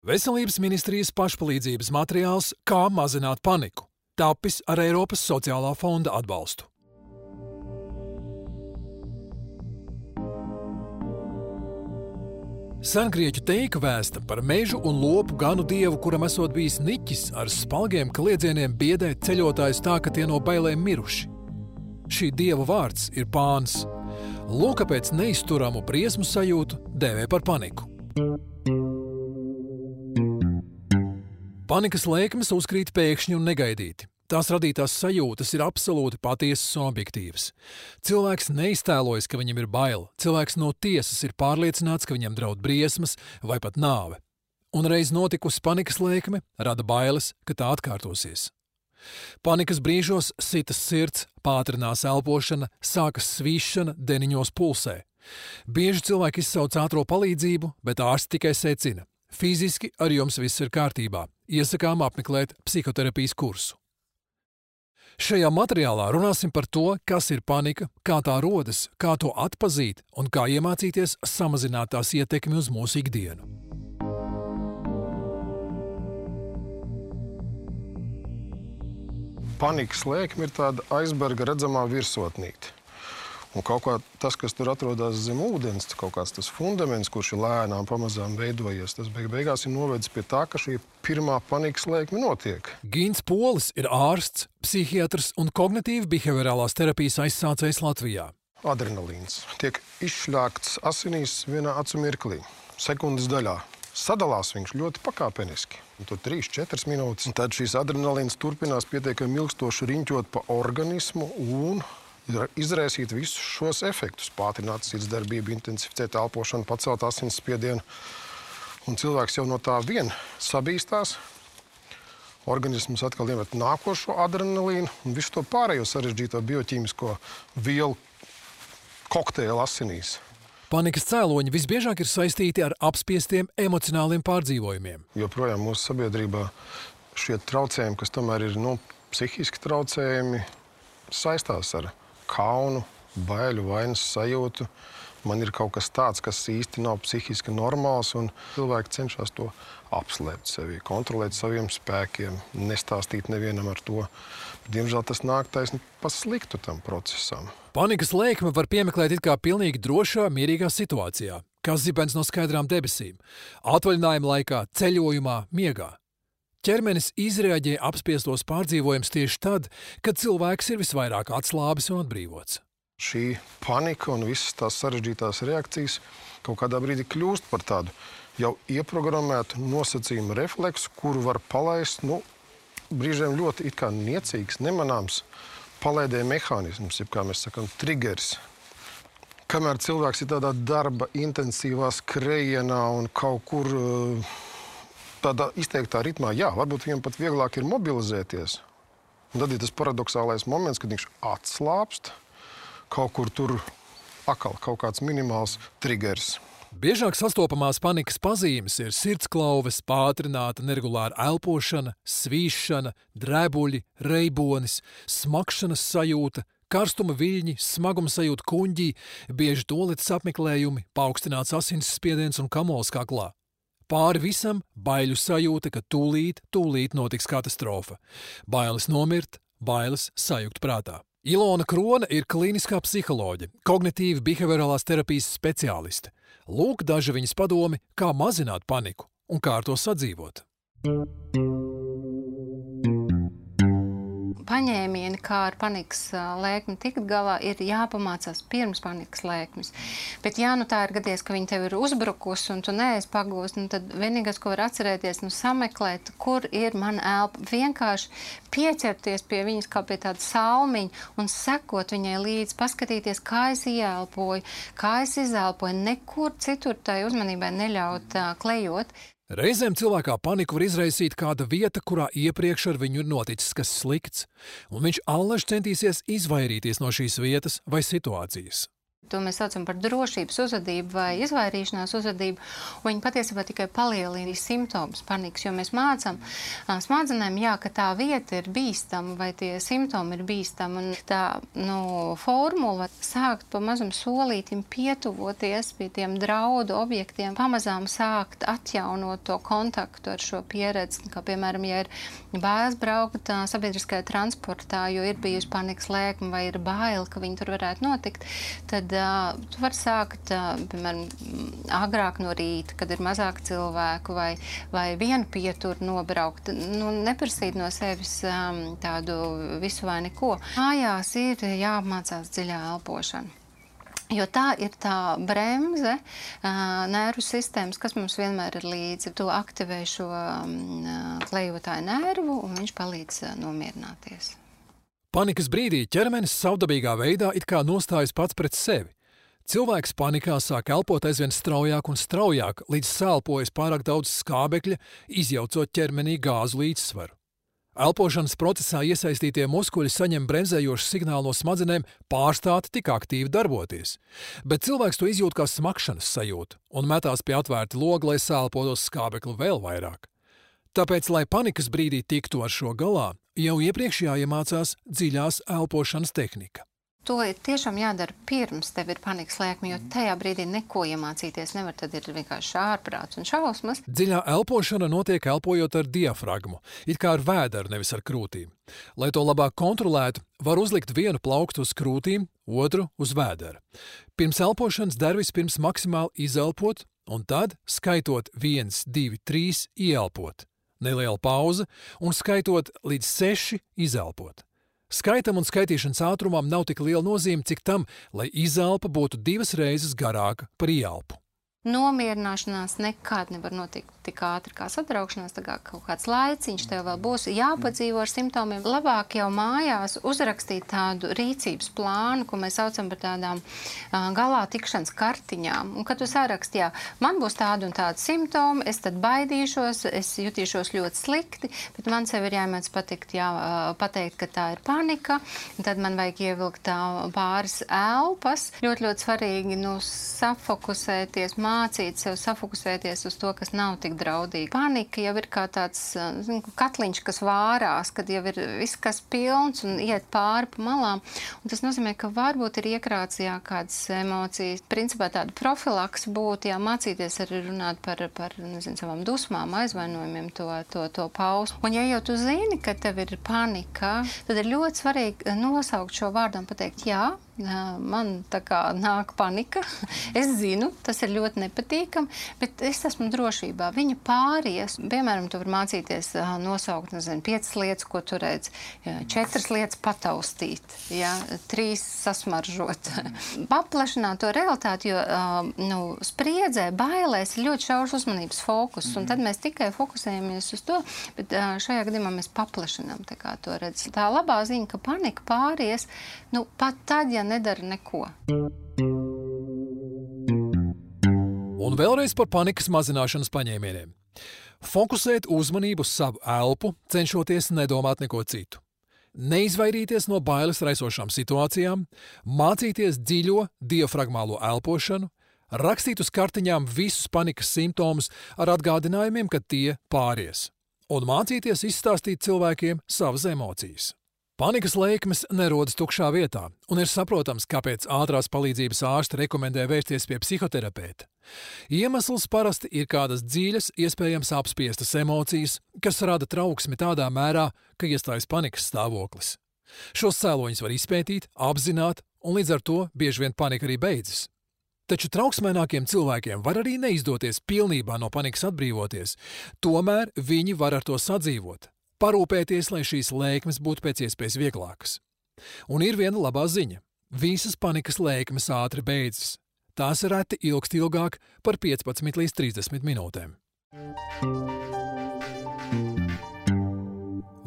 Veselības ministrijas pašpalīdzības materiāls Kā mazināt paniku, tapis ar Eiropas sociālā fonda atbalstu. Sengrieķu teika vēsta par mežu un lopu ganu dievu, kuram esot bijis niķis ar spalgiem kliedzieniem biedēt ceļotājus tā, ka tie no bailēm miruši. Šī dieva vārds ir Pāns. Lūk, kāpēc neizturamu briesmu sajūtu dēvē par paniku. Panikas lēkmes uzkrīt pēkšņi un negaidīti. Tās radītās sajūtas ir absolūti patiesas un objektīvas. Cilvēks neiztēlojas, ka viņam ir bail. Cilvēks no tiesas ir pārliecināts, ka viņam draud briesmas vai pat nāve. Un reiz notikusi panikas lēkme rada bailes, ka tā atkārtosies. Panikas brīžos sitas sirds, pātrinās elpošana, sākas svīšana, deniņos pulsē. Bieži cilvēki izsauc ātro palīdzību, bet ārsti tikai secina. Fiziski ar jums viss ir kārtībā. Iesakām apmeklēt psihoterapijas kursu. Šajā materiālā runāsim par to, kas ir panika, kā tā rodas, kā to atpazīt un kā iemācīties samazināt tās ietekmi uz mūsu ikdienu. Panikas lēkme ir tāda aizberga redzamā virsotnīte. Un kaut kā tas, kas tur atrodas zem ūdens, kaut kāds tas fundaments, kurš ir lēnām pamazām veidojies, tas beigās ir novedis pie tā, ka šī pirmā panikas lēkme notiek. Gins Polis ir ārsts, psihiatrs un kognitīvi behaviorālās terapijas aizsācējs Latvijā. Adrenalīns tiek izšļākts asinīs vienā acu mirklī, sekundes daļā. Sadalās viņš ļoti pakāpeniski. Tur 3-4 minūtes. Un tad šīs adrenalīns turpinās pietiekami ilgstoši riņķot pa organismu un izraisīt visus šos efektus. Pātrināt sirdsdarbību, intensificēt elpošanu, pacelt asinsspiedienu. Un cilvēks jau no tā vien sabīstās. Organisms atkal iemet nākošo adrenalīnu un visu to pārējo sarežģīto bioķīmisko vielu kokteili asinīs. Panikas cēloņi visbiežāk ir saistīti ar apspiestiem emocionāliem pārdzīvojumiem. Joprojām mūsu sabiedrībā šie traucējumi, kas tomēr ir psihiski traucējumi, saistās ar kaunu, baiļu, vainas sajūtu. Man ir kaut kas tāds, kas īsti nav psihiski normāls, un cilvēki cenšas to apslēpt sevi, kontrolēt saviem spēkiem, nestāstīt nevienam ar to. Diemžēl tas nāk taisni pa sliktu tam procesam. Panikas lēkme var piemeklēt it kā pilnīgi drošā, mierīgā situācijā, kā zibens no skaidrām debesīm, atvaļinājuma laikā, ceļojumā, miegā. Ķermenis izreaģē apspiestos pārdzīvojumus tieši tad, kad cilvēks ir visvairāk atslābis un atbrīvots. Šī panika un visas tās sarežģītās reakcijas kaut kādā brīdī kļūst par tādu jau ieprogrammētu nosacījumu refleksu, kuru var palaist, brīžiem ļoti it kā niecīgs, nemanāms palaidē mehānisms, jeb kā mēs sakam, triggers. Kamēr cilvēks ir tādā darba intensīvā skrejienā un kaut kur tādā izteiktā ritmā, varbūt viņam pat vieglāk ir mobilizēties. Un tad ir tas paradoxālais moments, kad viņš atslāpst, kaut kur tur atkal kaut kāds minimāls triggers. Biežāk sastopamās panikas pazīmes ir sirdsklauves, pātrināta neregulāra elpošana, svīšana, drebuļi, reibonis, smakšanas sajūta, karstuma viļņi, smaguma sajūta kuņģī, bieži toaletes apmeklējumi, paaugstināts asinsspiediens un kamols kaklā. Pāri visam baiļu sajūta, ka tūlīt notiks katastrofa. Bailes nomirt, bailes sajukt prātā. Ilona Krone ir klīniskā psiholoģe, kognitīvi behaviorālās terapijas speciāliste. Lūk daži viņas padomi, kā mazināt paniku un kā ar to sadzīvot. Paņēmieni, kā ar panikas lēkmi tikt galā, ir jāpamācās pirms panikas lēkmes. Bet tā ir gadījies, ka viņi tev ir uzbrukusi un tu neesi pagūst, tad vienīgais, ko var atcerēties, sameklēt, kur ir mana elpa. Vienkārši pieķerties pie viņas kā pie tāda salmiņa un sekot viņai līdzi, paskatīties, kā es ieelpoju, kā es izelpoju, nekur citur tai uzmanībai neļaut klejot. Reizēm cilvēkā paniku var izraisīt kāda vieta, kurā iepriekš ar viņu ir noticis kas slikts, un viņš allaž centīsies izvairīties no šīs vietas vai situācijas. To mēs saucam par drošības uzvedību vai izvairīšanās uzvedību. Viņi patiesībā tikai palielina simptomus panikas, jo mēs mācām smadzenēm, ka tā vieta ir bīstama vai tie simptomi ir bīstami. Un tā formula sākt pa mazam solītim pietuvoties pie tiem draudu objektiem, pamazām sākt atjaunot to kontaktu ar šo pieredzi. Kā piemēram, ja ir bailes braukt sabiedriskajā transportā, jo ir bijusi panikas lēkme vai ir baila, ka viņi tur varētu notikt, tad tu vari sākt, piemēram, agrāk no rīta, kad ir mazāk cilvēku vai vienu pieturu nobraukt. Neprasīt no sevis tādu visu vai neko. Mājās ir jāapmācās dziļā elpošana. Jo tā ir tā bremze nervu sistēmas, kas mums vienmēr ir līdzi. Tu aktivē šo klejotāju nervu un viņš palīdz nomierināties. Panikas brīdī ķermenis savdabīgā veidā it kā nostājas pats pret sevi. Cilvēks panikā sāk elpot aizvien straujāk un straujāk, līdz sālpojas pārāk daudz skābekļa, izjaucot ķermenī gāzu līdzsvaru. Elpošanas procesā iesaistītie muskuļi saņem bremzējošu signālu no smadzenēm pārstāt tik aktīvi darboties, bet cilvēks to izjūt kā smakšanas sajūtu un metās pie atvērta loga, lai sālpotos skābekli vēl vairāk. Tāpēc, lai panikas brīdī tiktu ar šo galā, jau iepriekš jāiemācās dziļās elpošanas tehnika. To ir tiešām jādara pirms tev ir panikas lēkme, jo tajā brīdī neko iemācīties nevar, tad ir vienkārši ārprāts un šausmas. Dziļā elpošana notiek elpojot ar diafragmu, it kā ar vēderu, nevis ar krūtīm. Lai to labāk kontrolētu, var uzlikt vienu plauktu uz krūtīm, otru uz vēdera. Pirms elpošanas der vispirms maksimāli izelpot, un tad, skaitot 1, 2, 3, ieelpot. Neliela pauze un skaitot līdz 6 izelpot. Skaitam un skaitīšanas ātrumam nav tik liela nozīme, cik tam, lai izelpa būtu 2 reizes garāka par ieelpu. Nomierināšanās nekad nevar notikt tik ātri kā satraukšanās, tā kā kaut kāds laiciņš tev vēl būs jāpadzīvo ar simptomiem. Labāk jau mājās uzrakstīt tādu rīcības plānu, ko mēs saucam par tādām galā tikšanas kartiņām. Un kad tu saraksti, man būs tādi un tādi simptomi, es tad baidīšos, es jutīšos ļoti slikti, bet man sev ir jāmēdz pateikt, ka tā ir panika, un tad man vajag ievilkt pāris elpas. Ļoti svarīgi safokusēties, mācīt sev safokusēties uz to, kas nav tik draudīgi. Panika jau ir kā tāds katliņš, kas vārās, kad jau ir viss, kas pilns un iet pāri pa malām. Un tas nozīmē, ka varbūt ir iekrāts kādas emocijas. Principā tāda profilaks būtu, mācīties arī runāt par savām dusmām, aizvainojumiem, to paust. Un ja jau tu zini, ka tev ir panika, tad ir ļoti svarīgi nosaukt šo vārdu un pateikt, man tā kā nāk panika. Es zinu, tas ir ļoti nepatīkami, bet es esmu drošībā. Viņa pāries. Piemēram, tu vari mācīties nosaukt, 5 lietas, ko tu redz, 4 lietas pataustīt, 3 sasmaržot. Paplašināt to realitāti, jo spriedzē, bailēs ir ļoti šaurs uzmanības fokus, un tad mēs tikai fokusējamies uz to, bet šajā gadījumā mēs paplašinām to redz. Tā labā ziņa, ka panika pāries, pat tad, ja nedara neko. Un vēlreiz par panikas mazināšanas paņēmieniem. Fokusēt uzmanību uz savu elpu, cenšoties nedomāt neko citu. Neizvairīties no bailes raisošām situācijām, mācīties dziļo diafragmālo elpošanu, rakstīt uz kartiņām visus panikas simptomus ar atgādinājumiem, ka tie pāries, un mācīties izstāstīt cilvēkiem savas emocijas. Panikas lēkmes nerodas tukšā vietā, un ir saprotams, kāpēc ātrās palīdzības ārsti rekomendē vērsties pie psihoterapeita. Iemesls parasti ir kādas dziļas, iespējams apspiestas emocijas, kas rada trauksmi tādā mērā, ka iestājas panikas stāvoklis. Šos cēloņus var izpētīt, apzināt, un līdz ar to bieži vien panika arī beidzas. Taču trauksmēnākiem cilvēkiem var arī neizdoties pilnībā no panikas atbrīvoties, tomēr viņi var ar to sadzīvot. Parūpēties, lai šīs lēkmes būtu pēc iespējas vieglākas. Un ir viena labā ziņa. Visas panikas lēkmes ātri beidzas. Tās reti ilgst ilgāk par 15 līdz 30 minūtēm.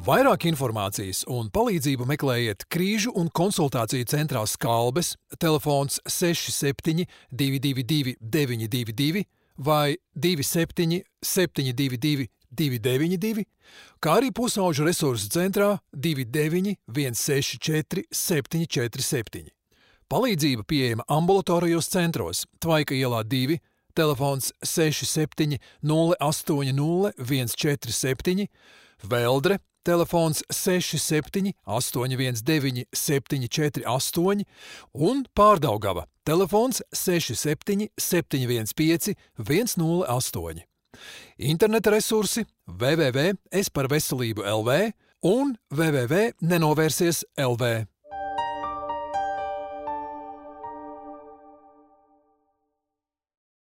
Vairāk informācijas un palīdzību meklējiet Krīžu un konsultāciju centrā Skalbes, telefons 67 222 922 vai 27 722 292, kā arī pusauģu resursu centrā 29 164 747. Palīdzība pieejama ambulatorijos centros Tvaika ielā 2, telefons 67 080 147, Veldre, telefons 67 819 748 un Pārdaugava, telefons 67 715 108. Interneta resursi www.esparveselību.lv un www.nenovērsies.lv.